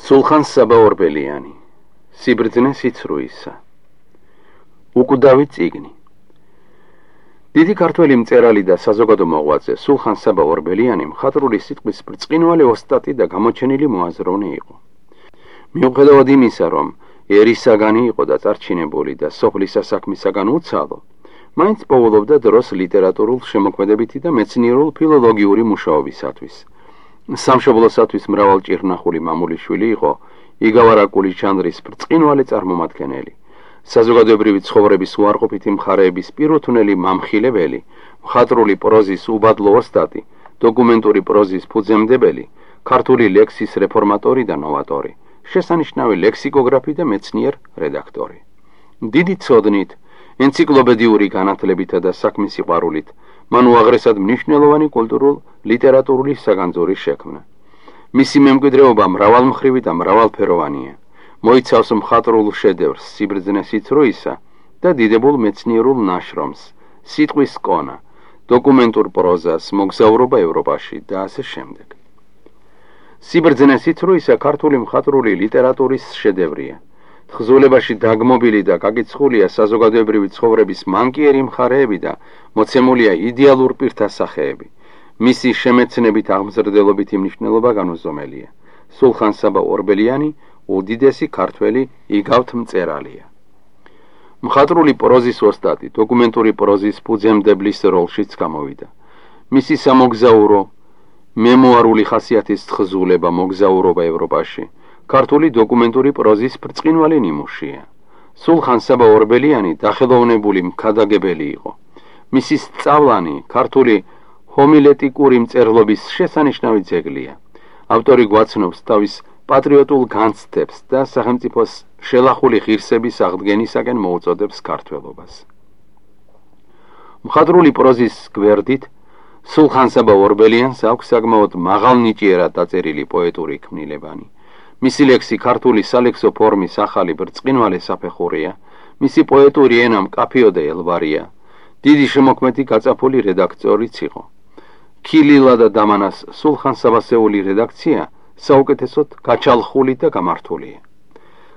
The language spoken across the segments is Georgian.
სულხან საბა ორბელიანი, სიბრძნე სიცრუისა. უკვდავი წიგნი. დიდი ქართველი მწერალი და საზოგადო მოღვაწე სულხან საბა ორბელიანი მხატვრული სიტყვის ბრწყინვალე ოსტატი და გამოჩენილი მოაზროვნე იყო. მიუხედავად იმისა, რომ ერისაგანი იყო და წარჩინებული და სოფლის საქმისაგან უცალო, მაინც პოულობდა დროს ლიტერატურულ შემოქმედებითი და მეცნიერულ ფილოლოგიური მუშაობისათვის. სამშობლოსათვის მრავალჭირნახული მამულიშვილი იყო იგავარაკულის ჟანრის ბრწყინვალე წარმომადგენელი, საზოგადოებრივი ცხოვრების უარყოფითი მხარეების პირუთვნელი მამხილებელი, მხატვრული პროზის უბადლო ოსტატი, დოკუმენტური პროზის ფუძემდებელი, ქართული ლექსის რეფორმატორი და ნოვატორი, შესანიშნავი ლექსიკოგრაფი და მეცნიერ რედაქტორი. დიდი ცოდნით, ენციკლოპედიური განათლებითა და საქმის სიყვარულით მან უაღრესად მნიშვნელოვანი კულტურულ-ლიტერატურული საგანძური შექმნა. მისი მემკვიდრეობა მრავალმხრივი და მრავალფეროვანია. მოიცავს მხატვრულ შედევრს სიბრძნე სიცრუისა და დიდებულ მეცნიერულ ნაშრომს სიტყვის კონა, დოკუმენტურ პროზას, მოგზაურობა ევროპაში და ასე შემდეგ. სიბრძნე სიცრუისა ქართული მხატვრული ლიტერატურის შედევრია. თხზულებაში დაგმობილი და გაკიცხულია საზოგადოებრივი ცხოვრების მანკიერი მხარეები და მოცემულია იდეალურ პირთა სახეები. მისი შემეცნებით აღმზრდელობითი მნიშვნელობა განუზომელია. სულხან საბა ორბელიანი უდიდესი ქართველი იგავთ მწერალია. მხატვრული პროზის ოსტატი, დოკუმენტური პროზის ფუძემდებლის როლშიც გამოვიდა. მისი სამოგზაურო, მემუარული ხასიათის თხზულება მოგზაურობა ევროპაში ქართული დოკუმენტური პროზის ბრწყინვალე ნიმუშია. სულხან საბა ორბელიანი დახელოვნებული მქადაგებელი იყო. მისი სწავლანი ქართული ჰომილეტიკური მწერლობის შესანიშნავი ძეგლია. ავტორი გვაცნობს თავის პატრიოტულ განცდებს და სახელმწიფოს შელახული ღირსების აღდგენისაკენ მოუწოდებს ქართველობას. მხატვრული პროზის გვერდით სულხან საბა ორბელიანს აქვს საკმაოდ მაღალნიჭიერად დაწერილი პოეტური ქმნილებანი. მისი ლექსი ქართული სალექსო ფორმის ახალი ბრწყინვალე საფეხურია, მისი პოეტური ენა მკაფიო და ელვარია, დიდი შემოქმედი გაწაფული რედაქტორიც იყო. ქილილა და დამანას სულხან საბასეული რედაქცია საუკეთესოდ გაჩალხული და გამართულია.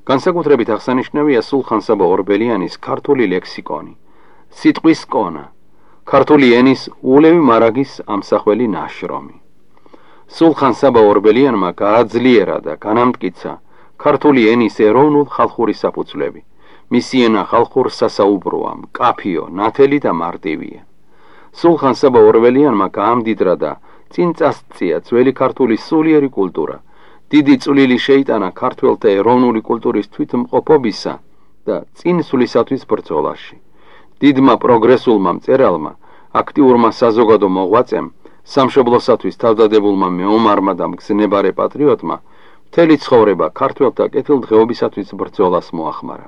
განსაკუთრებით აღსანიშნავია სულხან საბა ორბელიანის ქართული ლექსიკონი, სიტყვის კონა, ქართული ენის ულევი მარაგის ამსახველი ნაშრომი. სულხან საბა ორბელიანმა გააძლიერა და განამტკიცა ქართული ენის ეროვნულ ხალხური საფუძვლები. მისი ენა ხალხურ სასაუბროა, მკაფიო, ნათელი და მარტივია. სულხან საბა ორბელიანმა გაამდიდრა და წინ წასწია ძველი ქართული სულიერი კულტურა, დიდი წვლილი შეიტანა ქართველთა ეროვნული კულტურის თვითმყოფობისა და წინსვლისათვის ბრძოლაში. დიდმა პროგრესულმა მწერალმა, აქტიურმა საზოგადო მოღვაწემ, სამშობლოსათვის თავდადებულმა მეომარმა და მგზნებარე პატრიოტმა მთელი ცხოვრება ქართველთა კეთილდღეობისათვის ბრძოლას მოახმარა.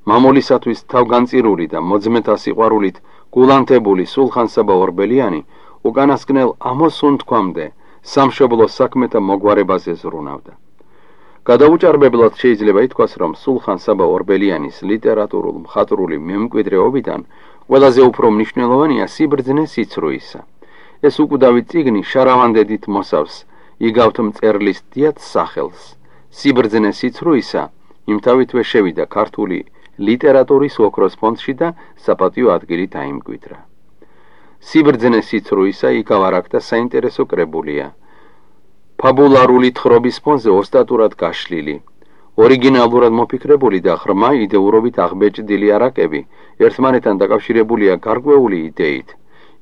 მამულისათვის თავგანწირული და მოძმეთა სიყვარულით გულანთებული სულხან საბა ორბელიანი უკანასკნელ ამოსუნთქვამდე სამშობლოს საქმეთა მოგვარებაზე ზრუნავდა. გადაუჭარბებლად შეიძლება ითქვას, რომ სულხან საბა ორბელიანის ლიტერატურულ მხატვრული მემკვიდრეობიდან ყველაზე უფრო მნიშვნელოვანია სიბრძნე სიცრუისა. ეს უკვდავი წიგნი შარავანდედით მოსავს იგავთ მწერლის დიად სახელს. სიბრძნე სიცრუისა იმთავითვე შევიდა ქართული ლიტერატურის ოქროს ფონდში და საპატიო ადგილი დაიმკვიდრა. სიბრძნე სიცრუისა იგავარაკდა საინტერესო კრებულია. ფაბულარული თხრობის ფონზე ოსტატურად გაშლილი, ორიგინალურად მოფიქრებული და ღრმა იდეურობით აღბეჭდილი არაკები ერთმანეთთან დაკავშირებულია გარკვეული იდეით.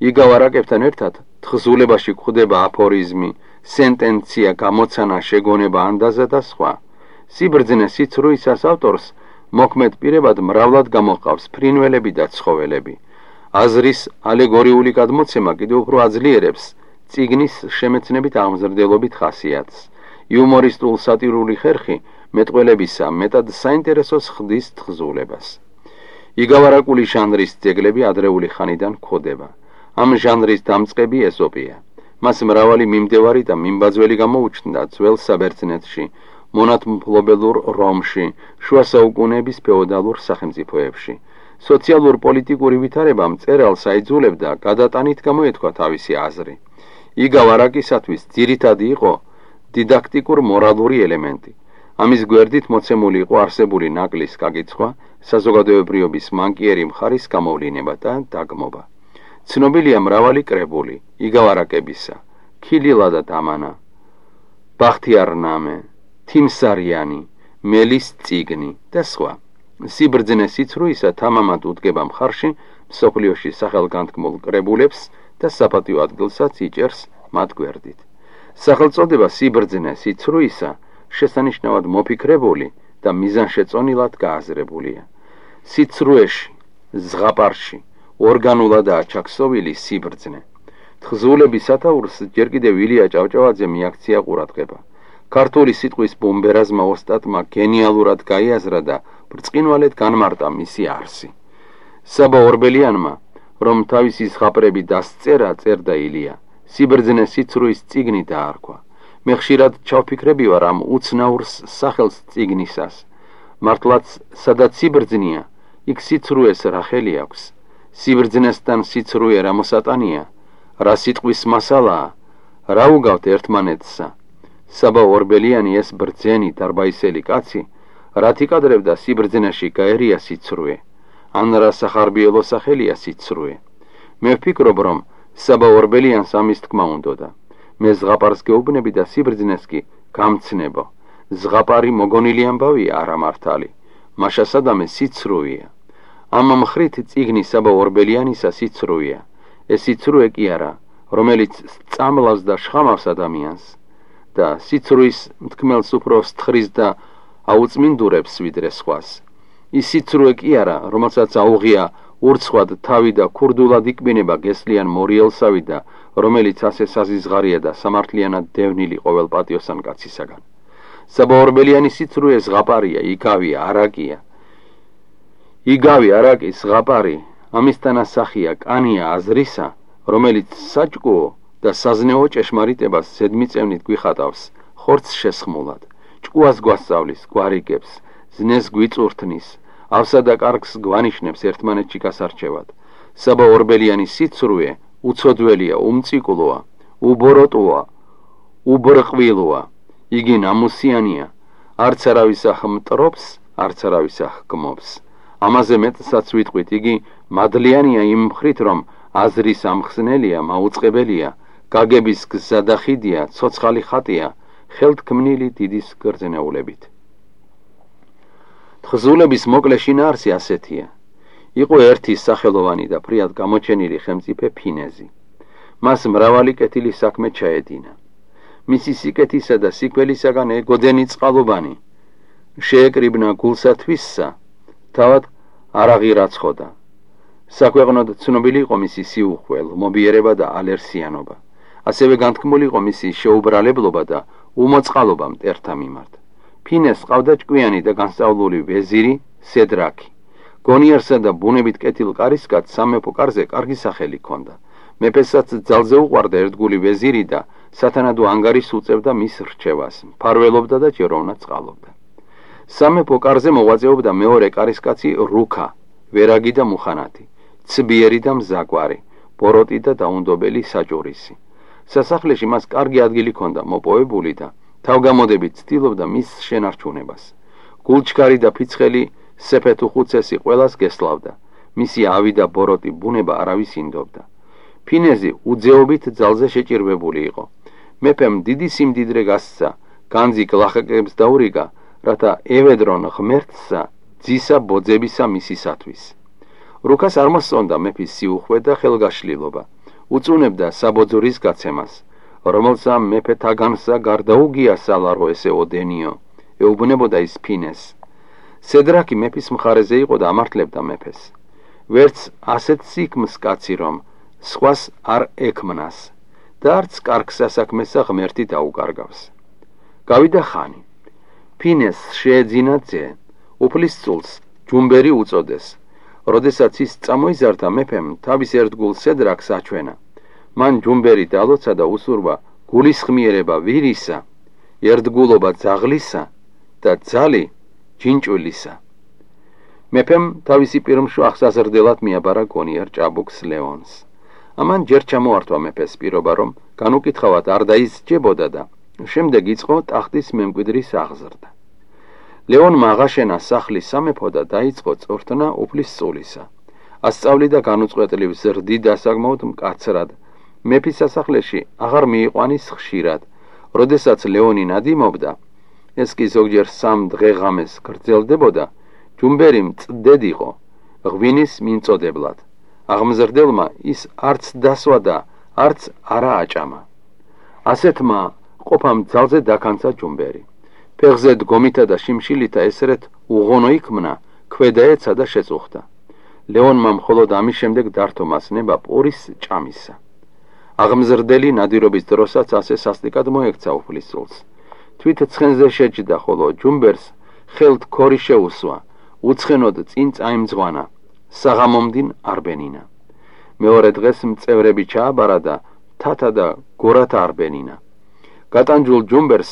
იგავარაკებთან ერთად თხზულებაში გვხვდება აფორიზმი, სენტენცია, გამოცანა, შეგონება, ანდაზა და სხვა. სიბრძნე სიცრუისას ავტორს მოქმედ პირებად მრავლად გამოჰყავს ფრინველები და ცხოველები. აზრის ალეგორიული გადმოცემა კიდევ უფრო აძლიერებს წიგნის შემეცნებით აღმზრდელობით ხასიათს. იუმორისტულ სატირული ხერხი მეტყველებისა მეტად საინტერესოს ხდის თხზულებას. იგავარაკული ჟანრის ძეგლები ადრეული ხანიდან გვხვდება. ამ ჟანრის დამწყები ეზოპია. მას მრავალი მიმდევარი და მიმბაძველი გამოუჩნდა ძველ საბერძნეთში, მონათმფლობელურ რომში, შუა საუკუნეების ფეოდალურ სახელმწიფოებში. სოციალურ-პოლიტიკური ვითარება მწერალს აიძულებდა გადატანით გამოეთქვა თავისი აზრი. იგავარაკისათვის ძირითადი იყო დიდაქტიკურ-მორალური ელემენტი. ამის გვერდით მოცემული იყო არსებული ნაკლის გაკიცხვა, საზოგადოებრიობის მანკიერი მხარის გამოვლინება და დაგმობა. ცნობილია მრავალი კრებული, იგავარაკებისა, ქილილა და დამანა, ბახთიარნამე, თიმსარიანი, მელის წიგნი და სხვა. სიბრძნე სიცრუისა თამამად უდგება მხარში მსოფლიოში სახელგანთქმულ კრებულებს და საპატიო ადგილსაც იჭერს მათ გვერდით. სახელწოდება სიბრძნე სიცრუისა შესანიშნავად მოფიქრებული და მიზანშეწონილად გააზრებულია. სიცრუეში, ზღაპარში, ორგანულადაა ჩაქსოვილი სიბრძნე. თხზულების სათაურს ჯერ კიდევ ილია ჭავჭავაძე მიაქცია ყურადღება. ქართული სიტყვის ბომბერაზმა ოსტატმა გენიალურად გაიაზრა და ბრწყინვალედ განმარტა მისი არსი. საბა ორბელიანმა, რომ თავისი ზღაპრები დასწერა, წერდა ილია, სიბრძნე სიცრუის წიგნი დაარქვა. მე ხშირად ჩავფიქრები ვარ ამ უცნაურს სახელს წიგნისას. მართლაც სადაც სიბრძნეა, იქ სიცრუეს რა ხელი აქვს. სიბრძნესთან სიცრუე რა მოსატანია, რა სიტყვის მასალაა, რა უგავთ ერთმანეთსა. საბა ორბელიანი ეს ბრძენი დარბაისელი კაცი, რაც იკადრებდა სიბრძნეში გაერია სიცრუე, ან რა სახარბიელო სახელია სიცრუე. მე ვფიქრობ, რომ საბა ორბელიანს ამის თქმა უნდოდა. მე ზღაპარს გეუბნები და სიბრძნეს კი გამცნებო. ზღაპარი მოგონილი ამბავია, არა მართალი. მაშასადამე სიცრუეა. ამ მხრით წიგნი საბა ორბელიანისა სიცრუეა. ეს სიცრუე კი არა, რომელიც სწამლავს და შხამავს ადამიანს და სიცრუის მთქმელს უფრო სთხრის და აუწმინდურებს ვიდრე სხვას. ის სიცრუე კი არა, რომელსაც აუღია ურცხვად თავი და ქურდულად იკბინება გესლიან მორიელსავი და რომელიც ასე საზიზღარია და სამართლიანად დევნილი ყოველ პატიოსან კაცისაგან. საბა ორბელიანი სიცრუე ზღაპარია, იგავია, არაკია. იგავი არაკის ზღაპარი ამისთან ასახია კანია აზრისა, რომელიც საჭკუო და საზნეო ჭეშმარიტებას ზედმიწევნით გვიხატავს ხორცს შესხმულად, ჭკუას გვასწავლის, გვარიგებს, ზნეს გვიწურთნის, ავსა და კარგს გვანიშნებს ერთმანეთში გასარჩევად. საბა ორბელიანი სიცრუე უცოდველია, უმწიკვლოა, უბოროტოა, უბრყვილოა. იგი ნამუსიანია, არც არავის ახმტრობს, არც არავის ახკმობს. ამაზე მეტსაც ვიტყვით, იგი მადლიანია იმ მხრით, რომ აზრის ამხსნელია, მაუწყებელია, გაგების გზადახიდია, ცოცხალი ხატია, ხელთქმნილი დიდის გრძნეულებით. თხზულების მოკლე შინაარსი ასეთია. იყო ერთი სახელოვანი და ფრიად გამოჩენილი ხელმწიფე ფინეზი. მას მრავალი კეთილი საქმე ჩაედინა. მისი სიკეთისა და სიკველისაგან ეგოდენი წყალობანი. შეეკრიბნა გულსათვისსა, თავად არ აღირაცხოდა. საქვეყნოდ ცნობილი იყო მისი სიუხვე, ლმობიერება და ალერსიანობა. ასევე განთქმული იყო მისი შეუბრალებლობა და უმოწყალობა მტერთა მიმართ. ფინეს ყავდა ჭკვიანი და განსწავლული ვეზირი სედრაკი. გონიერსა და ბუნებით კეთილ კარისკაცს სამეფო კარზე კარგი სახელი ჰქონდა. მეფესაც ძალზე უყვარდა ერთგული ვეზირი და სათანადო ანგარიშს უწევდა მის რჩევას, მფარველობდა და ჭიროვნად წყალობდა. სამეფო კარზე მოღვაწეობდა მეორე კარისკაცი რუქა, ვერაგი და მუხანათი, ცბიერი და მზაგვარი, ბოროტი და დაუნდობელი საჭურისი. სასახლეში მას კარგი ადგილი ჰქონდა მოპოვებული და თავგამოდებით ცდილობდა მის შენარჩუნებას. გულჩქარი და ფიცხელი სეფეთუხუცესი ყველას გესლავდა. მისი ავი და ბოროტი ბუნება არავის ინდობდა. ფინეზი უძეობით ძალზე შეჭირვებული იყო. მეფემ დიდი სიმდიდრე გასცა, განძი გლახაკებს დაურიგა, რათა ევედრონ ღმერთსა ძისა ბოძებისა მისისათვის. რუკას არ მოსწონდა მეფის სიუხვე და ხელგაშლილობა. უწუნებდა საბოძურის გაცემას, რომელსა მეფე თაგანსა გარდაუგია სალარო ესე ოდენიო, ეუბნებოდა ის ფინეს. სედრაკი მეფის მხარეზე იყო და ამართლებდა მეფეს. ვერც ასეთ სიქმს კაცი, რომ სხვას არ ექმნას და არც კარგ სასაქმესა ღმერთი დაუკარგავს. გავიდა ხანი. ფინეს შეეძინა ძე, უფლისწულს ჯუმბერი უწოდეს. როდესაც ის წამოიზარდა მეფემ თავის ერთგულ სედრაკს აჩვენა. მან ჯუმბერი დალოცა და უსურვა გულისხმიერება ვირისა, ერთგულობა ძაღლისა და ძალი ჯინჭულისა. მეფემ თავისი პირმშვილს აღზრდელად მიაბარა გონიერ ჭაბუკს ლეონს. ამან ჯერ ჩამოართვა მეფეს პირობა, რომ განუკითხავად არ დაისჯებოდა და შემდეგ იწყო ტახტის მემკვიდრის აღზრდა. ლეონმა აღაშენა სახლის სამეფო და დაიწყო წვრთნა უფლის სწულისა. ასწავლიდა განუწყვეტლივ ზრდიდ დასაგმოდ მკაცრად. მეფის სასახლეში აღარ მიიყვანის ხშირად. როდესაც ლეონი ნადიმობდა, ეს კი ზოგჯერ 3 დღე-ღამეს გრძელდებოდა, ჯუმბერი მწდედ იყო, ღვინის მიმწოდებლად. აღმზრდელმა ის არც დასვა და არც არა აჭამა. ასეთმა ყოფამ ძალზე დაქანცა ჯუმბერი. ფეხზე დგომითა და შიმშილითა ესერეთ უღონო იქმნა, ქვედაეცა და შეწუხდა. ლეონმა მხოლოდ ამის შემდეგ დართო მას ნება პურის ჭამისა. აღმზრდელი ნადირობის დროსაც ასე სასტიკად მოექცა უფლის სულს. თვით ცხენზე შეჯდა, ხოლო ჯუმბერს ხელთ ქორი შეუსვა, უცხენოდ წინ წაიმძღვანა, საღამომდინ არბენინა. მეორე დღეს მწევრები ჩააბარა და თათა და გორათა არბენინა. გატანჯულ ჯუმბერს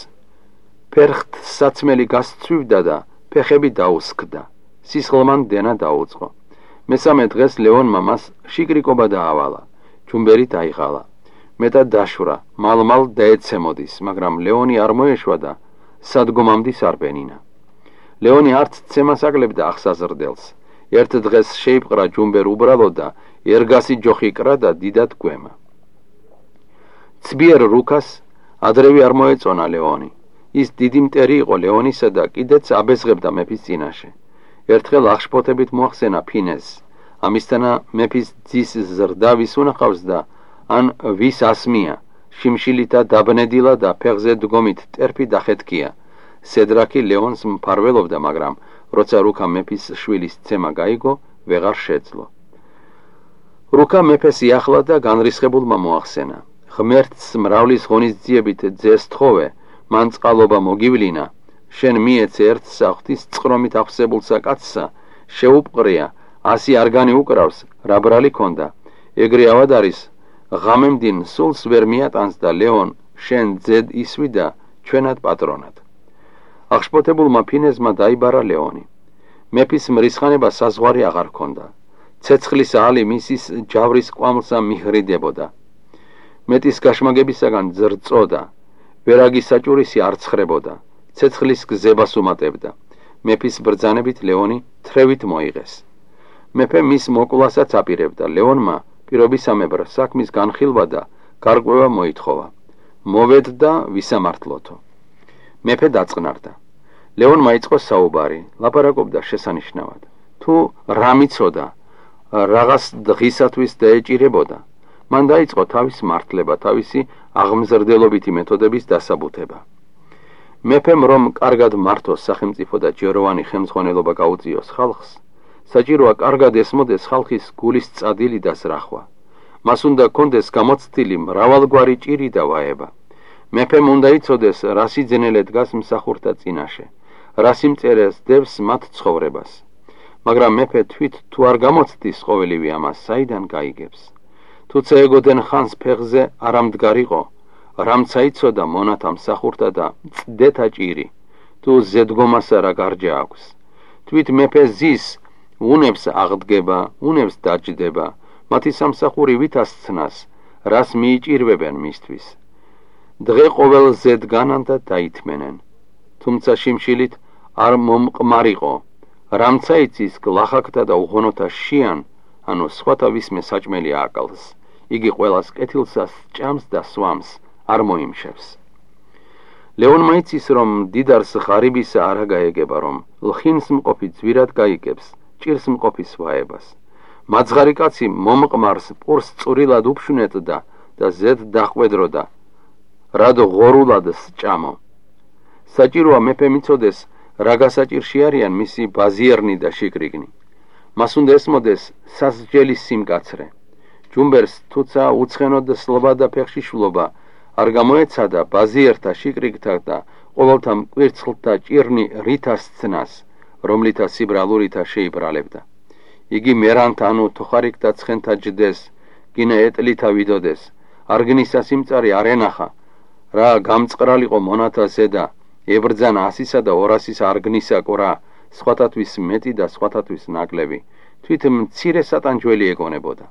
ფერხთ საცმელი გასცვივდა და ფეხები დაუსქდა. სისხლმან დენა დაუწყო. მესამე დღეს ლეონმა მას შიკრიკობა დაავალა. ჯუმბერი დაიღალა. მეტად დაშვრა, მალ-მალ დაეცემოდის, მაგრამ ლეონი არ მოეშვა და სადგომამდე არბენინა. ლეონი არც ცემას აკლებდა აღსაზრდელს. ერთ დღეს შეიპყრა ჯუმბერ უბრალოდ და ერგასი ჯოხი კრა და დიდად გვემა. ცბიერ რუქას ადრევი არ მოეწონა ლეონი. ის დიდი მტერი იყო ლეონისა და კიდეც აბეზღებდა მეფის წინაშე. ერთხელ აღშფოთებით მოახსენა ფინეზს. ამისთანა მეფის ძის ზრდა ვის უნახავს და ან ვის ასმია, შიმშილითა დაბნედილა და ფეხზე დგომით ტერფი დახეთქია. სედრაკი ლეონს მფარველობდა, მაგრამ როცა რუკა მეფის შვილის ცემა გაიგო, ვეღარ შეძლო. რუკა მეფეს იახლა და განრისხებულმა მოახსენა. ღმერთს მრავლის ღონისძიებით ძეს თხოვე, მან წყალობა მოგივლინა, შენ მიეცე ერთ საღვთის წყრომით აღსებულსა კაცსა, შეუპყრია, 100 არგანი უკრავს, რა ბრალი ქონდა. ეგრე ავად არის, ღამემდინ სულს ვერ მიატანს და ლეონ შენ ძედ ისვი და ჩვენად პატრონად. აღშფოთებულმა ფინეზმა დაიბარა ლეონი. მეფის მრისხანება საზღვარი აღარ ქონდა. ცეცხლის ალი მისის ჯავრის კვამლსა მიჰრიდებოდა. მეტის გაშმაგებისაგან ძრწოდა. ვერაგის საჭურისი არ ცხრებოდა. ცეცხლის გზებას უმატებდა. მეფის ბრძანებით ლეონი თრევით მოიღეს. მეფე მის მოკვლასაც აპირებდა. ლეონმა პირობისამებრ საქმის განხილვა და გარკვევა მოითხოვა. მოვედდა ვისამართლოთო. მეფე დაწყნარდა. ლეონმა იწყო საუბარი, ლაპარაკობდა შესანიშნავად. თუ რა მიცოდა, რაღაც დღისათვის დაეჭირებოდა. მან დაიწყო თავის მართლება, თავისი აღმზრდელობითი მეთოდების დასაბუთება. მეფემ რომ კარგად მართოს სახელმწიფო და ჯეროვანი ხელმძღვანელობა გაუწიოს ხალხს, საჭიროა კარგად ესმოდეს ხალხის გულის წადილი და ზრახვა. მას უნდა კონდეს გამოცდილი მრავალგვარი ჭირი და ვაება. მეფემ უნდა იცოდეს, რა სიძენელე დგას მსახურთა წინაშე, რა სიმწერეს დევს მათ ცხოვრებას. მაგრამ მეფე თვით თუ არ გამოცდის ყოველივე ამას, საიდან გაიგებს? თუცა ეგოდენ ხანს ფეხზე არ ამდგარიყო, რამცა იცოდა მონათა მსახურთა და წდეთა ჭირი, თუ ზედგომასა რა გარჯა აქვს. თვით მეფე ზის, უნებს აღდგება, უნებს დაჯდება, მათი სამსახური ვითასცნას, რას მიიჭირვებენ მისთვის. დღე ყოველ ზედგანან და დაითმენენ. თუმცა შიმშილით არ მომყმარიყო, რამცა იცის გლახაკთა და უღონოთა შიან, ანუ სხვათა ვისმე საჭმელი აკალს. იგი ყველას კეთილსას ჭამს და სვამს, არ მოიმშევს. ლეონმა იცის, რომ დიდარს ღარიბისა არა გაეგება, რომ ლხინს მყოფი ძვირად გაიგებს, ჭირს მყოფის ვაებას. მაძღარი კაცი მომყმარს პურს წვრილად უფშვნეთდა და ზედ დახვედროდა, რად ღორულად სჭამო. საჭიროა მეფე მიცოდეს, რა გასაჭირში არიან მისი ბაზიერნი და შიკრიგნი. მას უნდა ესმოდეს სასჯელის სიმკაცრე. ჯუმბერს თუცა უცხენოდ სლობა და ფეხში შვლობა არ გამოეცადა ბაზიერთა შიკრიგთა და ყოველთა მკვირცხლთა ჭირნი რითასცნას, რომლითა სიბრალურითა შეიბრალებდა. იგი მერანთ ანუ თოხარიკთა ცხენთა ჯდეს, გინა ეტლითა ვიდოდეს, არგნისა სიმწარი არ ენახა, რა გამწყრალიყო მონათა ზედა, ებრძანა 100-სა და 200-ის არგნისა ყურა, სხვათათვის მეტი და სხვათათვის ნაკლები, თვით მცირე სატანჯველი ეგონებოდა.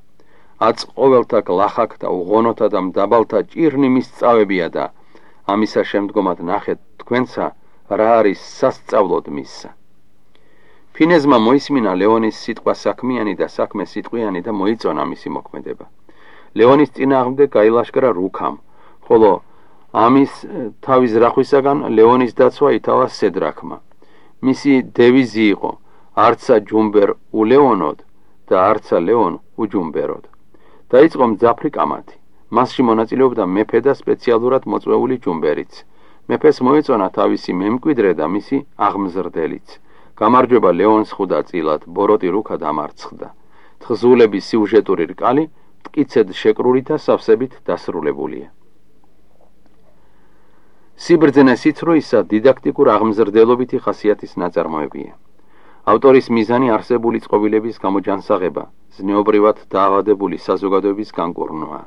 აც ყოველთა გლახაკთა, უღონოთა და მდაბალთა ჭირნი მისწავებია და ამისა შემდგომად ნახეთ თქვენსა, რა არის სასწავლოდ მისსა. ფინეზმა მოისმინა ლეონის სიტყვა საქმიანი და საქმე სიტყვიანი და მოიწონა მისი მოქმედება. ლეონის წინააღმდეგ გაილაშქრა რუქამ, ხოლო ამის თავის რახვისაგან ლეონის დაცვა ითავა სედრაქმა. მისი დევიზი იყო არცა ჯუმბერ ულეონოდ და არცა ლეონ უჯუმბეროდ. დაიწყო მძაფრი კამათი. მასში მონაწილეობდა მეფე და სპეციალურად მოწვეული ჯუმბერიც. მეფეს მოეწონა თავისი მემკვიდრე და მისი აღმზრდელიც. გამარჯვება ლეონს ხვდა წილად, ბოროტი რუქა დამარცხდა. თხზულების სიუჟეტური რკალი მტკიცედ შეკრული და სავსებით დასრულებულია. სიბრძნე სიცრუისა დიდაქტიკურ აღმზრდელობითი ხასიათის ნაწარმოებია. ავტორის მიზანი არსებული წყობილების გამოჯანსაღება, ზნეობრივად დაავადებული საზოგადოების განკურნვა.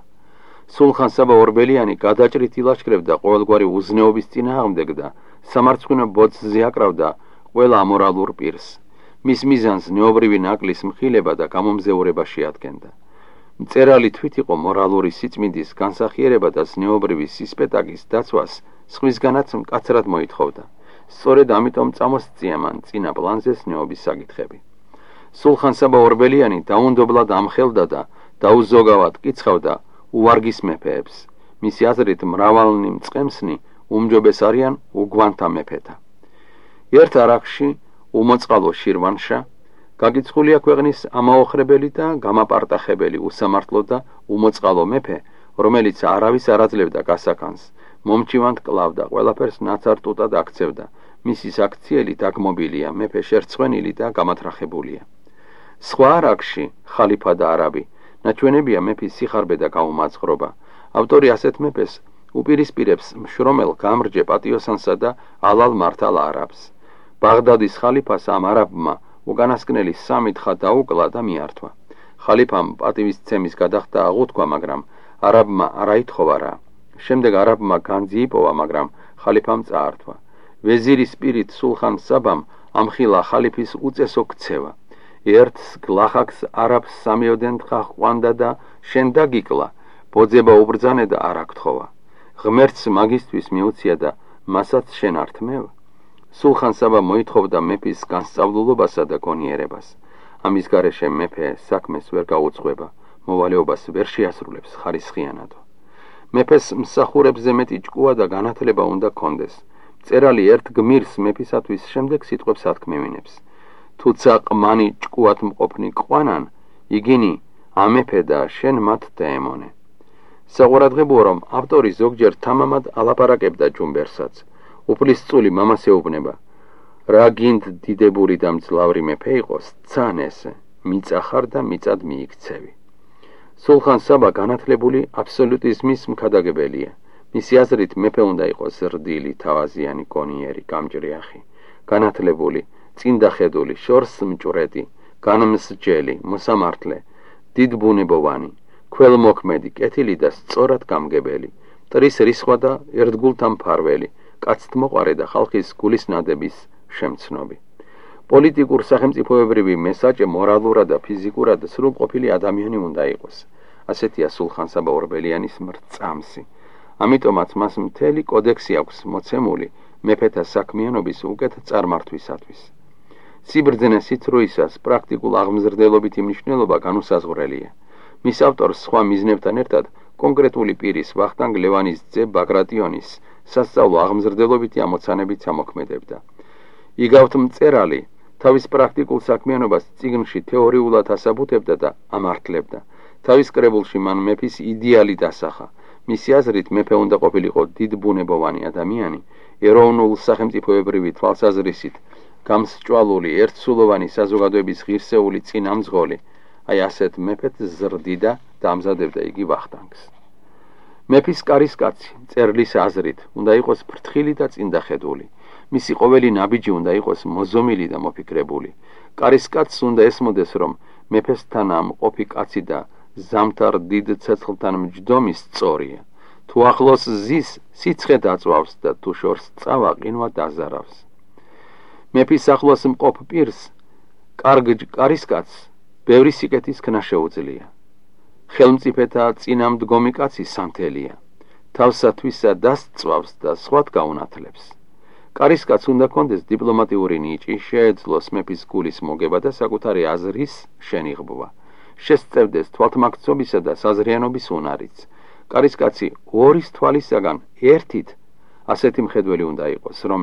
სულხან საბა ორბელიანი გადაჭრით ილაშქრებდა ყოველგვარი უზნეობის წინააღმდეგ და სამარცხვინო ბოძზე აკრავდა ყველა ამორალურ პირს. მის მიზანს ზნეობრივი ნაკლის მხილება და გამომზეურება შეადგენდა. მწერალი თვით იყო მორალური სიწმინდის განსახიერება და ზნეობრივი სისპეტაკის დაცვას სხვისგანაც მკაცრად მოითხოვდა. სწორედ ამიტომ წამოსწია მან წინა პლანზე ზნეობის საკითხები. სულხან საბა ორბელიანი დაუნდობლად ამხელდა და დაუზოგავად კიცხავდა უვარგის მეფეებს. მისი აზრით მრავალნი მწყემსნი უმჯობეს არიან უგვანთა მეფეთა. ერთ არახში უმოწყალო შირვანშა გაგიცხულია ქვეყნის ამაოხრებელი და გამაპარტახებელი უსამართლო და უმოწყალო მეფე, რომელიც არავის არ აძლევდა გასახანს, მომჩივანთ კლავდა, ყველაფერს ნაცარტუტად აქცევდა. მისი საქციელი დაგმობილია, მეფე შერცხვენილი და გამათრახებულია. სხვა არახში ხალიფა და არაბი ნაჩვენებია მეფის სიხარბე და გაუმაძღრობა. ავტორი ასეთ მეფეს უპირისპირებს მშრომელ გამრჯე პატიოსანსა და ალალ მართალ არაბს. ბაღდადის ხალიფას ამ არაბმა უკანასკნელი 3 თხა დაუკლა და მიართვა. ხალიფამ პატივისცემის გადახდა აღუთქვა, მაგრამ არაბმა არ აითხოვა რა. შემდეგ არაბმა განძი იპოვა, მაგრამ ხალიფამ წაართვა. ვეზირის პირით სულხან საბამ ამხილა ხალიფის უწესო ქცევა. ერთს გლახაკს არაბს სამიოდენ თხა ყვანდა და შენ დაგიკლა, ბოძება უბრძანე და არ აკთხოვა. ღმერთს მაგისტვის მიუცია და მასაც შენ ართმევ. სულხან საბა მოითხოვდა მეფის განსწავლულობასა და გონიერებას. ამის გარეშე მეფე საქმეს ვერ გაუძღვება, მოვალეობას ვერ შეასრულებს ხარისხიანადო. მეფეს მსახურებზე მეტი ჭკუა და განათლება უნდა კონდეს. მწერალი ერთ გმირს მეფისათვის შემდეგ სიტყვებს ათქმევინებს. თუცა ყმანი ჭკუათ მყოფნი ყვანან, იგინი ამეფე და შენ მათ დაემონე. საყურადღებოა, რომ ავტორი ზოგჯერ თამამად ალაპარაკებდა ჯუმბერსაც. უფლისწული მამას ეუბნება, რა გინდ დიდებური და მძლავრი მეფე იყოს, ცან ესე, მიწა ხარ და მიწად მიიქცევი. სულხან საბა განათლებული აბსოლუტიზმის მქადაგებელია. მისი აზრით მეფე უნდა იყოს ზრდილი, თავაზიანი, გონიერი, გამჭრიახი, განათლებული, წინდახედული, შორს მჭვრეტი, განმსჯელი, მოსამართლე, დიდბუნებოვანი, ქველმოქმედი, კეთილი და სწორად გამგებელი, მტრის რისხვა და ერთგულთა მფარველი, კაცთმოყვარე და ხალხის გულისნადების შემცნობი. პოლიტიკურ სახელმწიფოებრივი მესაჭე მორალურად და ფიზიკურად სრულყოფილი ადამიანი უნდა იყოს. ასეთია სულხან საბა ორბელიანის მრწამსი. ამიტომაც მას მთელი კოდექსი აქვს მოცემული მეფეთა საქმიანობის უკეთ წარმართვისათვის. სიბრძნე სიცრუისას პრაქტიკულ აღმზრდელობითი მნიშვნელობა განუსაზღვრელია. მის ავტორს სხვა მიზნებთან ერთად კონკრეტული პირის ვახტანგ ლევანის ძე ბაგრატიონის სასწავლო აღმზრდელობითი ამოცანებით ამოქმედებდა. იგავთ მწერალი თავის პრაქტიკულ საქმიანობას წიგნში თეორიულად ასაბუთებდა და ამართლებდა. თავის კრებულში მან მეფის იდეალი დასახა. მისი აზრით მეფე უნდა ყოფილიყო დიდბუნებოვანი ადამიანი, ეროვნულ სახელმწიფოებრივი თვალსაზრისით გამსჭვალული ერთსულოვანი საზოგადოების ღირსეული წინამძღოლი. აი ასეთ მეფეთ ზრდიდა და ამზადებდა იგი ვახტანგს. მეფის კარისკაცი მწერლის აზრით უნდა იყოს ფრთხილი და წინდახედული. მისი ყოველი ნაბიჯი უნდა იყოს მოზომილი და მოფიქრებული. კარისკაცს უნდა ესმოდეს, რომ მეფესთან ამყოფი კაცი და ზამთარ დიდ ცეცხლთან მჯდომი სწორია. თუ ახლოს ზის, სიცხე დაწვავს და თუ შორს წავა, ყინვა დაზარავს. მეფის ახლოს მყოფ პირს, კარგ კარისკაცს ბევრი სიკეთის ქნა შეუძლია. ხელმწიფეთა წინამდგომი კაცი სანთელია. თავსათვისა დასწვავს და სხვათ გაუნათლებს. კარისკაცს უნდა კონდეს დიპლომატიური ნიჭი, შეეძლოს მეფის გულის მოგება და საკუთარი აზრის შენიღბვა. შესწევდეს თვალთმაქცობისა და საზრიანობის უნარიც. კარისკაცი ორის თვალისაგან ერთით ასეთი მხედველი უნდა იყოს, რომ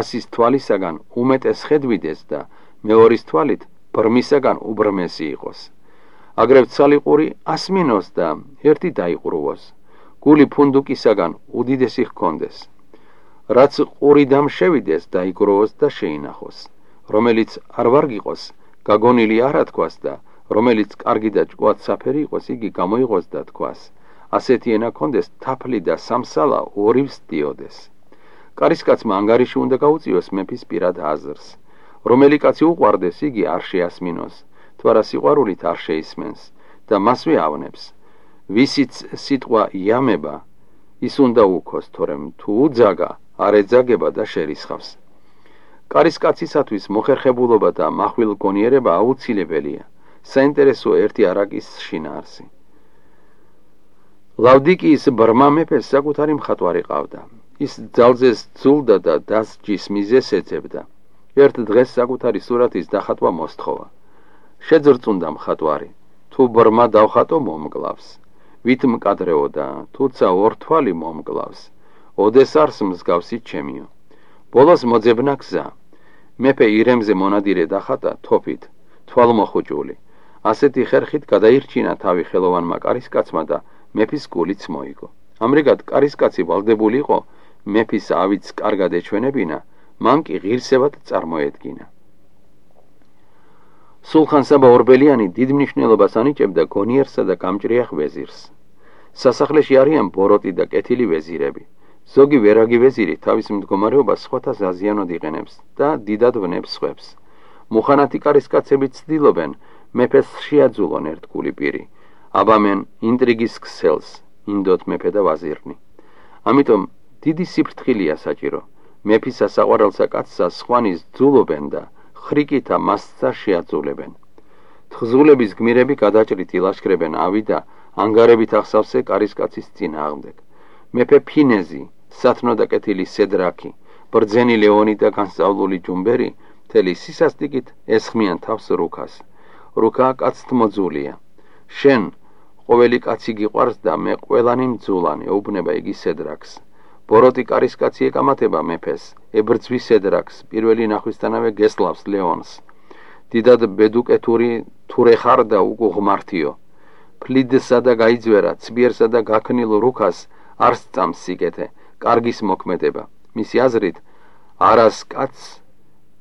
100-ის თვალისაგან უმეტეს ხედვიდეს და მეორის თვალით ბრმისაგან უბრმესი იყოს. აგრეთ ცალიყური ასმინოს და ერთი დაიყრუოს. გული ფუნდუკისაგან უდიდესი ჰქონდეს. რაც ყურიდან შევიდეს დაიგროვოს და შეინახოს. რომელიც არ ვარგიყოს, გაგონილი არ ათქვას და რომელიც კარგი და ჭკუად საფერი იყოს, იგი გამოიღოს და თქვას. ასეთი ენა ჰქონდეს თაფლი და სამსალა ორივს დიოდეს. კარისკაცმა ანგარიში უნდა გაუწიოს მეფის პირად აზრს. რომელი კაცი უყვარდეს, იგი არ შეასმინოს, თუ არა სიყვარულით არ შეისმენს და მასვე ავნებს. ვისიც სიტყვა იამება, ის უნდა უქოს, თორემ თუ უძაგა, არ ეძაგება და შერისხავს. კარისკაცისათვის მოხერხებულობა და მახვილგონიერება აუცილებელია. საინტერესო ერთი არაკის შინაარსი. ლავდიკიის ბრმა მეფეს საკუთარი მხატვარი ყავდა. ის ძალზეს ძულდა და დასჯის მიზეს ეძებდა. ერთ დღეს საკუთარი სურათის დახატვა მოსთხოვა. შეძრწუნდა მხატვარი. თუ ბრმა დავხატო მომკლავს. ვით მკადრეოდა, თუცა ორთვალი მომკლავს. ოდეს არს მსგავსი ჩემიო. ბოლოს მოძებნა გზა. მეფე ირემზე მონადირე დახატა თოფით, თვალმოხუჭული. ასეთი ხერხით გადაირჩინა თავი ხელოვანმა კარისკაცმა და მეფის გულიც მოიგო. ამრიგად კარისკაცი ვალდებული იყო მეფის ავიც კარგად ეჩვენებინა, მან კი ღირსებად წარმოედგინა. სულხან-საბა ორბელიანი დიდ მნიშვნელობას ანიჭებდა გონიერსა და გამჭრიახ ვეზირს. სასახლეში არიან ბოროტი და კეთილი ვეზირები. ზოგი ვერაგი ვეზირი თავის მდგომარეობას სხვათა ზაზიანოდ იყენებს და დიდად ვნებს სხვებს. მუხანათი კარისკაცები ცდილობენ მეფეს შეაძულონ ერთგული პირი. აბამენ ინტრიგის ქსელს, ინდოთ მეფე და ვაზირნი. ამიტომ დიდი სიფრთხილეა საჭირო. მეფისა საყვარელსა კაცსა სხვანის ძულობენ და ხრიკითა მასსა შეაძულებენ. თხზულების გმირები გადაჭრით ილაშქრებენ ავი და ანგარებით ახსავსე კარისკაცის წინააღმდეგ. მეფე ფინეზი, სათნო და კეთილი სედრაკი, ბრძენი ლეონი და განსწავლული ჯუმბერი მთელი სისასტიკით ესხმიან თავს რუქას. რუქა კაცთმოძულია. შენ ყოველი კაცი გიყვარს და მე ყველანი მძულანი, ეუბნება იგი სედრაკს. ბოროტი კარისკაცი ეკამათება მეფეს, ებრძვის სედრაკს, პირველი ნახვისთანავე გესლავს ლეონს. დიდად ბედუკეთური თურე ხარ და უღმართიო. ფლიდსა და გაიძვერა, ცბიერსა და გაქნილ რუქას არ სწამს სიკეთე, კარგის მოქმედება. მისი აზრით, არას კაცს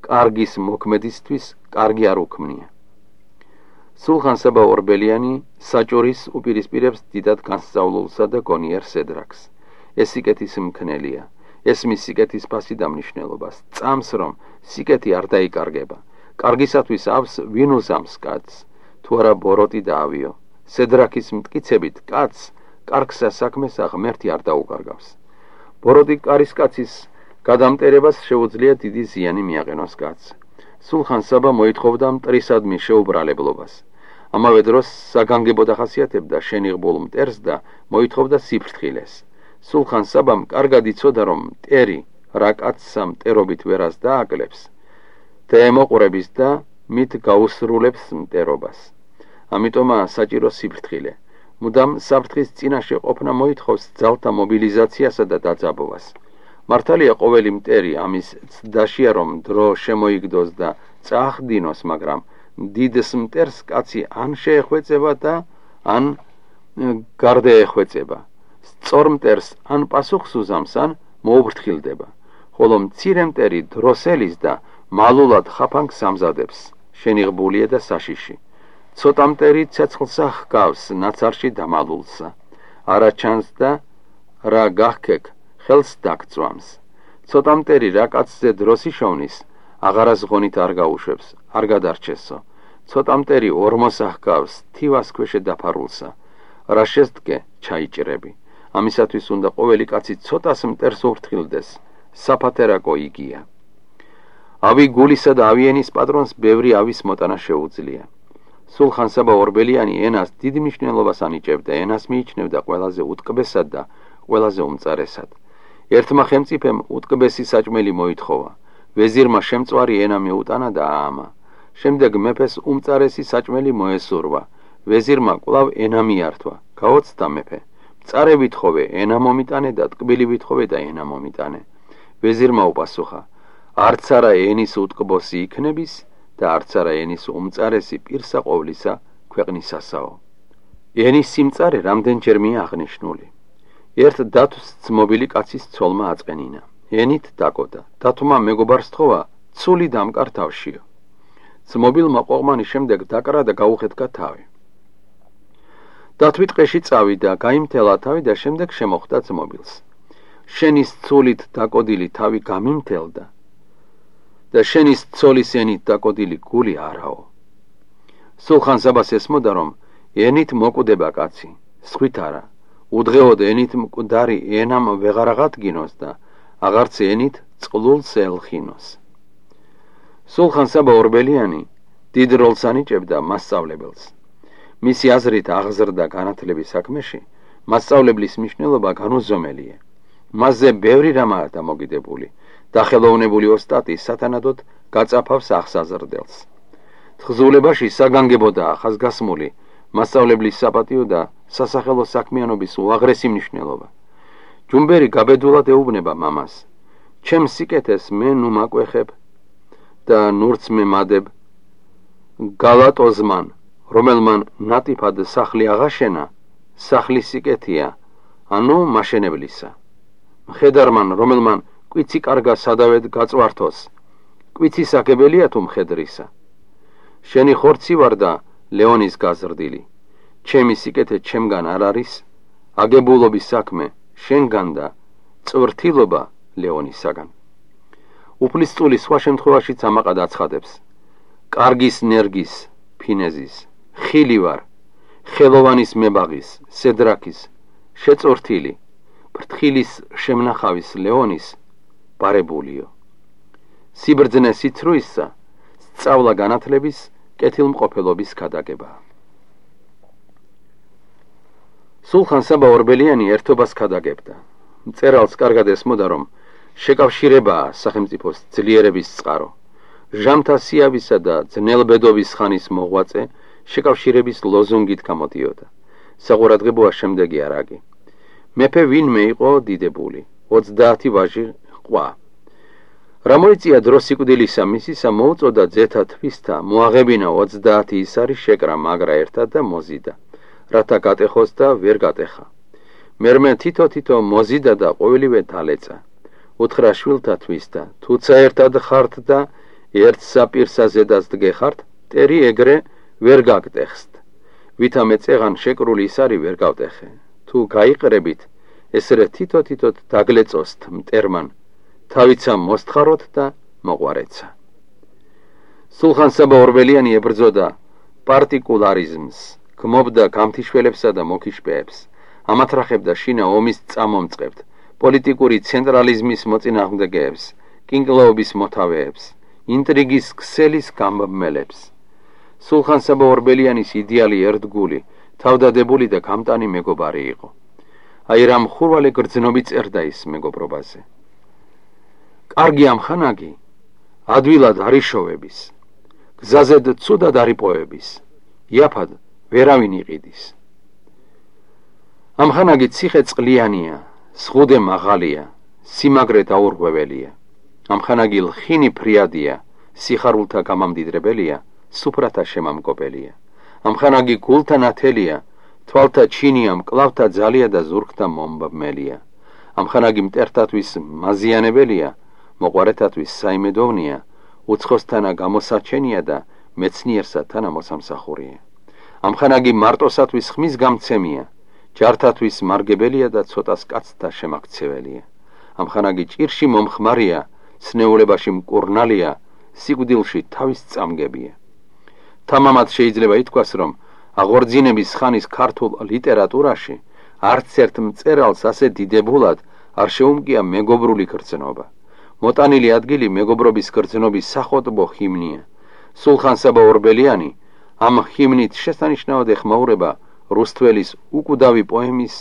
კარგის მოქმედისთვის კარგი არ უქმნია. სულხან-საბა ორბელიანი საჭურის უპირისპირებს დიდად განსწავლულსა და გონიერ სედრაკს. ეს სიკეთის მქნელია. ეს მის სიკეთის ფასი და მნიშვნელობას. წამს რომ სიკეთი არ დაიკარგება. კარგისათვის ავს ვინ უზამს კაცს, თუ არა ბოროტი და ავიო. სედრაკის მტკიცებით კაცს კარგსა საქმესა ღმერთი არ დაუკარგავს. ბოროტი კარისკაცის გადამტერებას შეუძლია დიდი ზიანი მიაყენოს კაცს. სულხან-საბა მოითხოვდა მტრისადმი შეუბრალებლობას. ამავე დროს საგანგებო დახასიათებდა შენიღბულ მტერს და მოითხოვდა სიფრთხილეს. სულხან-საბამ კარგად იცოდა, რომ მტერი რა კაცსა მტერობით ვერას დააკლებს, დაემოყურებს და მით გაუსრულებს მტერობას. ამიტომაა საჭირო სიფრთხილე. მუდამ საფრთხის წინაშე ყოფნა მოითხოვს ძალთა მობილიზაციასა და დაძაბვას. მართალია ყოველი მტერი ამის ცდაშია, რომ დრო შემოიგდოს და წაახდინოს, მაგრამ დიდს მტერს კაცი ან შეეხვეწება და ან გარდაეხვეწება. სწორ მტერს ან პასუხს უზამს, ან მოუფრთხილდება. ხოლო მცირე მტერი დროსელის და მალულად ხაფანგს ამზადებს, შენიღბულია და საშიში. ცოტა მტერი ცეცხლსა ჰგავს ნაცარში დამალულსა. არა ჩანს და რა გახქეკ ხელს დაგწვამს. ცოტა მტერი რა კაცზე დროს იშოვნის, აღარას ღონით არ გაუშვებს, არ გადარჩესო. ცოტა მტერი ორმოსა ჰგავს თივას ქვეშე დაფარულსა. რა შესდგე ჩაიჭრები. ამისათვის უნდა ყოველი კაცი ცოტას მტერს უფრთხილდეს, საფათერაკო იგია. ავი გულისა და ავიენის პატრონს ბევრი ავის მოტანა შეუძლია. სულხან-საბა ორბელიანი ენას დიდ მნიშვნელობას ანიჭებდა, ენას მიიჩნევდა ყველაზე უტკბესად და ყველაზე უმწარესად. ერთმა ხელმწიფემ უტკბესი საჭმელი მოითხოვა. ვეზირმა შემწვარი ენა მეუტანა და აამა. შემდეგ მეფეს უმწარესი საჭმელი მოესურვა. ვეზირმა კვლავ ენა მიართვა. გაოცდა მეფე. მწარე ვითხოვე, ენა მომიტანე და ტკბილი ვითხოვე და ენა მომიტანე. ვეზირმა უპასუხა: არც არა ენის უტკბოსი იქნების და არც არა ენის უმწარესი პირსა ყოვლისა ქვეყნისასაო. ენის სიმწარე რამდენჯერმეა აღნიშნული. ერთ დათვს ძმობილი კაცის ცოლმა აწყენინა. ენით დაკოდა. დათვმა მეგობარს თხოვა, ცული დამკარ თავშიო. ძმობილმა ყოღმანი შემდეგ დაკრა და გაუხეთქა თავი. დათვი ტყეში წავიდა, გაიმთელა თავი და შემდეგ შემოხვდა ძმობილს. შენის ცულით დაკოდილი თავი გამიმთელდა და შენის ცოლის ენით დაკოდილი გული არაო. სულხან საბას ესმოდა, რომ ენით მოკვდება კაცი, სხვით არა. უდღეოდ ენით მკვდარი ენამ ვეღარ აღადგინოს და აღარც ენით წყლულს ელხინოს. სულხან საბა ორბელიანი დიდ როლს ანიჭებდა მასწავლებელს. მისი აზრით აღზრდა განათლების საქმეში მასწავლებლის მნიშვნელობა განუზომელია. მასზე ბევრი რამაა დამოკიდებული. დახელოვნებული ოსტატი სათანადოდ გაწაფავს აღსაზრდელს. თხზულებაში საგანგებო და ახასგასმული მასწავლებლის საპატიო და სასახელო საქმიანობის უაღრესი მნიშვნელობა. ჯუმბერი გაბედულად ეუბნება მამას: ჩემ სიკეთეს მე ნუ მაკვეხებ და ნურც მე მადებ გალატოზმან, რომელმან ნატიფად სახლი აღაშენა, სახლის სიკეთია, ანუ მაშენებლისა. მხედარმან, რომელმან კვიცი კარგა სადავედ გაწვართოს, კვიცის აგებელია თუ მხედრისა. შენი ხორცი ვარ და ლეონის გაზრდილი. ჩემი სიკეთე ჩემგან არ არის, აგებულობის საქმე შენგან და წვრთილობა ლეონისაგან. უფლისწული სხვა შემთხვევაშიც ამაყად აცხადებს: კარგის ნერგის, ფინეზის, ხილი ვარ, ხელოვანის მებაღის, სედრაქის, შეწვრთილი, ფრთხილის შემნახავის ლეონის ბარებულიო. სიბრძნე სიცრუისა, სწავლა განათლების, კეთილმყოფელობის ქადაგებაა. სულხან საბა ორბელიანი ერთობას ქადაგებდა. მწერალს კარგად ესმოდა, რომ შეკავშირებაა სახელმწიფოს ძლიერების წყარო. ჟამთა სიავისა და ძნელბედობის ხანის მოღვაწე შეკავშირების ლოზუნგით გამოდიოდა. საყურადღებოა შემდეგი არაგი: მეფე ვინმე იყო დიდებული, 30 ვაჟი ყვა. რა მოიწია დრო სიკვდილისა მისისა, მოუწოდა ძეთა თვისთა, მოაღებინა 30 ისარი შეკრა მაგრა ერთად და მოზიდა, რათა გატეხოს და ვერ გატეხა. მერმე თითო მოზიდა და ყოველივე დალეწა. უთხრა შვილთა თვისთა: თუცა ერთად ხართ და ერთ საპირსა ზედას დგეხართ, ტერი ეგრე ვერ გაგტეხსთ. ვითა მეწეღან შეკრული ისარი ვერ გავტეხე. თუ გაიყრებით, ესრე თითო დაგლეწოსთ მტερμან, თავიცა მოსთხაროთ და მოყვარეცა. სულხან საბა ორბელიანი ებრძოდა პარტიკულარიზმს, გმობდა გამთიშველებსა და მოკიშპეებს, ამათრახებდა შინა ომის წამომწყებთ, პოლიტიკური ცენტრალიზმის მოწინააღმდეგეებს, კინკლაობის მოთავეებს, ინტრიგის ქსელის გამბმელებს. სულხან საბა ორბელიანის იდეალი ერთგული, თავდადებული და გამტანი მეგობარი იყო. აი რა მხურვალე გრძნობი წერდა ის მეგობრობაზე: კარგი ამხანაგი, ადვილად არიშოვების, გზაზედ ცუდად არიპოვების, იაფად ვერავინ იყიდის. ამხანაგი ციხე წყლიანია, სხუდე მაღალია, სიმაგრე დაურღვეველია. ამხანაგი ლხინი ფრიადია, სიხარულთა გამამდიდრებელია, სუფრათა შემამკობელია. ამხანაგი გულთა ნათელია, თვალთა ჩინია, მკლავთა ძალია და ზურგთა მომბმელია. ამხანაგი მტერთათვის მაზიანებელია, მოყვარეთათვის საიმედოვნია, უცხოსთანა გამოსაჩენია და მეცნიერსა თანა მოსამსახურია. ამხანაგი მარტოსათვის ხმის გამცემია, ჯართათვის მარგებელია და ცოტას კაცთა შემაქცეველია. ამხანაგი ჭირში მომხმარია, სნეულებაში მკურნალია, სიკვდილში თავის წამგებია. თამამად შეიძლება ითქვას, რომ აღორძინების ხანის ქართულ ლიტერატურაში არც ერთ მწერალს ასე დიდებულად არ შეუმკია მეგობრული გრძნობა. მოტანილი ადგილი მეგობრობის გრძნობის სახოტბო ჰიმნია. სულხან საბა ორბელიანი ამ ჰიმნით შესანიშნავად ეხმაურება რუსთველის უკვდავი პოემის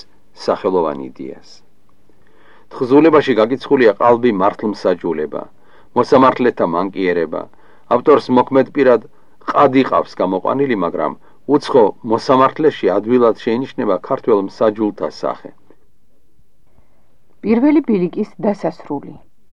სახელოვან იდეას. თხზულებაში გაკიცხულია ყალბი მართლმსაჯულება, მოსამართლეთა მანკიერება. ავტორს მოქმედპირად ყადი ყავს გამოყვანილი, მაგრამ უცხო მოსამართლეში ადვილად შეინიშნება ქართველ მსაჯულთა სახე. პირველი ბილიკის დასასრული.